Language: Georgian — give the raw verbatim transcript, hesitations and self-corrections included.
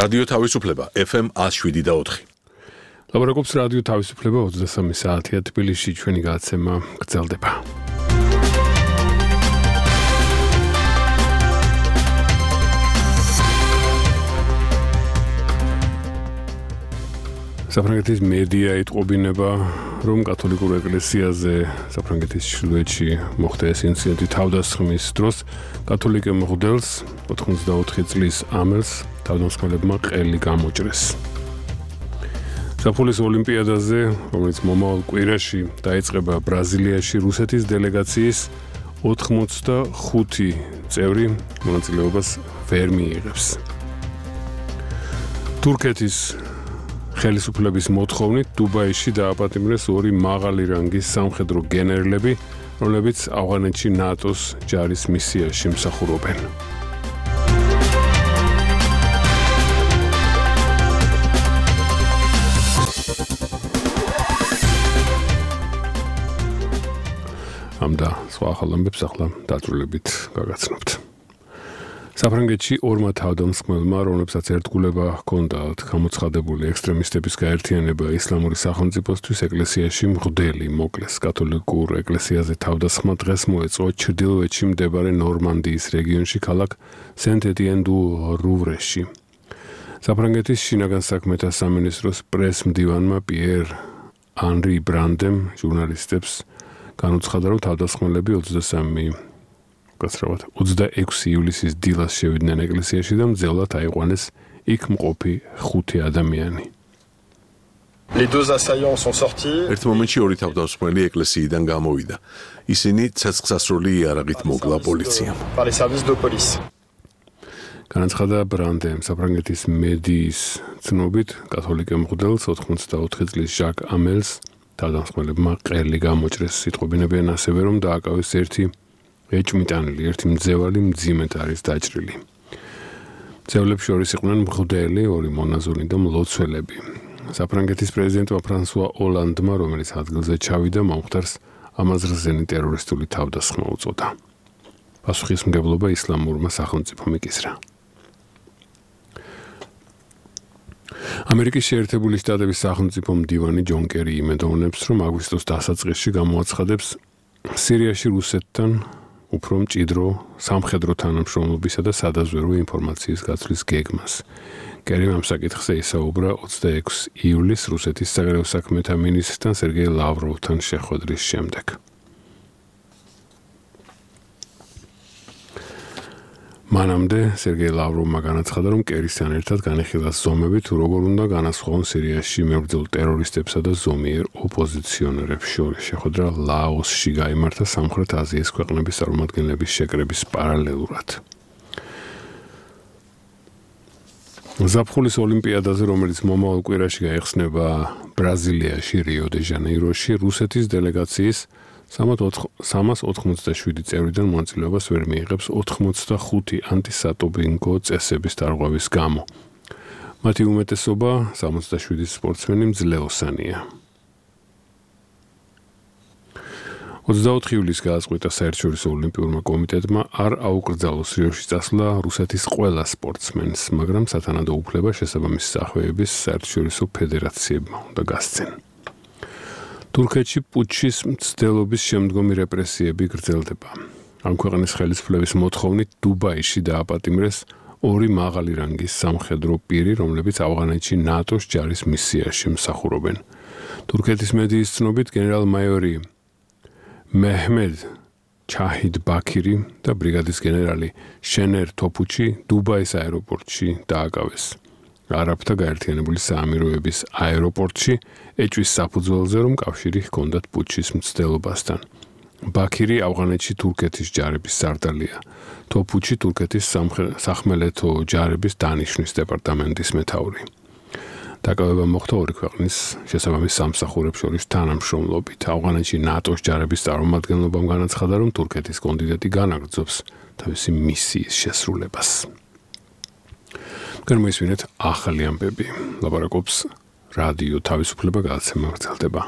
რადიო თავისუფლება ეფ ემ one oh seven point four. ლაბორატორიის რადიო თავისუფლება ოცდასამი საათია თბილისში ჩვენი გადაცემა გრძელდება. საფრანგეთის მედია იტყობინება, რომ კათოლიკურ ეკლესიაზე საფრანგეთის ჩრდილოეთში მოხდა ეს ინციდენტი თავდასხმის დროს კათოლიკე მღვდელს ოთხმოცდაოთხი წლის ამელს თავდამსხმელებმა ყელი გამოჭრეს. საფულის ოლიმპიადაზე, რომელიც მომავალ კვირაში დაიწყება ბრაზილიაში, რუსეთის დელეგაციის ოთხმოცდახუთი წევრი მონაწილეობას ვერ მიიღებს. თურქეთის ხელისუფლების მოთხოვნით დუბაიში დააპატიმრეს ორი მაღალი რანგის სამხედრო გენერლები, რომლებიც ავღანეთში ნატოს ჯარის მისიაში მსახურობენ. ამ და სხვა ახალ ამბებს ახლა დაწვრილებით გაგაცნობთ. საფრანგეთში ორმა თავდამსხმელმა, რომლებსაც ერთგულება ჰქონდათ გამოცხადებული ექსტრემისტების გაერთიანება ისლამური სახელმწიფოსთვის, ეკლესიაში მღვდელი მოკლეს. კათოლიკურ ეკლესიაზე თავდასხმა დღეს მოეწყო ჩრდილოეთში მდებარე ნორმანდიის რეგიონში ქალაქ სენტ-ეტიენ-დუ-რუვრეში. საფრანგეთის შინაგან საქმეთა სამინისტროს პრეს-მდივანმა პიერ ანრი ბრანდემ ჟურნალისტებს განუცხადა, რომ თავდასხმელები ოცდასამი გასრავად ოცდაექვსი ივლისის დილას შევიდნენ ეკლესიაში და მძევლად აიყვანეს იქ მყოფი ხუთი ადამიანი. Les deux assaillants sont sortis. ერთ მომენტში ორი თავდამსხმელი ეკლესიიდან გამოვიდა. ისინი ცეცხლსასროლი იარაღით მოკლა პოლიციამ. Par les services de police. განაცხადა ბრანდემ საფრანგეთის მედიის ცნობით კათოლიკე მღვდელს ოთხმოცდაოთხი წლის ჟაკ ამელს თავდამსხმელებმა ყელი გამოჭრეს. იტყობინებიან ასევე, რომ დააკავეს ერთი ეჭვმიტანილი, ერთი მძევალი მძიმედ არის დაჭრილი. მძევლებს შორის იყვნენ მღვდელი, ორი მონაზონი და მლოცველები. საფრანგეთის პრეზიდენტმა ფრანსუა ოლანდმა, რომელიც ადგილზე ჩავიდა, მომხდარს ამაზრზენი ტერორისტული თავდასხმა უწოდა. პასუხისმგებლობა ისლამურმა სახელმწიფომ იკისრა. ამერიკის შეერთებული შტატების სახელმწიფო მდივანი ჯონ კერი იმედოვნებს, რომ აგვისტოს დასაწყისში გამოაცხადებს სირიაში რუსეთთან უფრო მჭიდრო სამხედრო თანამშრომლობისა და სადაზვერვო ინფორმაციის გაცვლის გეგმას. კერიმ ამ საკითხზე ისაუბრა ოცდაექვსი ივლისს რუსეთის საგარეო საქმეთა მინისტრთან სერგეი ლავროვთან შეხვედრის შემდეგ. მანამდე სერგეი ლავროვმა განაცხადა, რომ კერისთან ერთად განიხილა ზომები თუ როგორ უნდა განასხვაონ სირიაში მებრძოლ ტერორისტებსა და ზომიერ ოპოზიციონერებს შორის. შეხვედრა ლაოსში გაიმართა სამხრეთ აზიის ქვეყნების წარმომადგენლების შეკრების პარალელურად. ზაფხულის ოლიმპიადაზე, რომელიც მომავალ კვირაში გაიხსნება ბრაზილიაში, რიო-დე-ჟანეიროში, რუსეთის დელეგაციის სამას ოთხმოცდაშვიდი წევრიდან მონაწილეობას ვერ მიიღებს ოთხმოცდახუთი ანტისატობინგო წესების დარღვევის გამო. მათი უმეტესობა სამოცდაშვიდი სპორტსმენი მძლეოსანია. ოცდაოთხი ივლისს გააწყვეტა საერთაშორისო ოლიმპიურმა კომიტეტმა არ აუკრძალოს რიოში წასვლა რუსეთის ყველა სპორტსმენს, მაგრამ სათანადო უფლება შესაბამისი სახვევების საერთაშორისო ფედერაციებმა უნდა გასცენ. თურქეთში პუტჩის მცდელობის შემდგომი რეპრესიები გრძელდება. ამ ქვეყნის ხელისუფლების მოთხოვნით დუბაიში დააპატიმრეს ორი მაღალი რანგის სამხედრო პირი, რომლებიც ავღანეთში ნატოს ჯარის მისიაში მსახურობენ. თურქეთის მედიის ცნობით გენერალ-მაიორი მეჰმედ ჩაჰიდ ბაქირი და ბრიგადის გენერალი შენერ თოფუჩი დუბაის აეროპორტში დააკავეს. არაბთა გაერთიანებული საამიროების აეროპორტში ეჭვის საფუძველზე, რომ კავშირი ჰქონდათ პუტჩის მცდელობასთან. ბაქირი ავღანეთში თურქეთის ჯარების სარდალია. თოფუჩი თურქეთის სახმელეთო ჯარების დანიშვნის დეპარტამენტის მეთაური. დაკავება მოხდა ორი ქვეყნის შესაბამის სამსახურებს შორის თანამშრომლობით. ავღანეთში ნატოს ჯარების წარმომადგენლობამ განაცხადა, რომ თურქეთის კონტინენტი განაგრძობს თავისი მისიის შესრულებას. განმოისმინეთ ახალი ამბები. ლაბორატორიის რადიო თავისუფლება გადაცემა გრძელდება.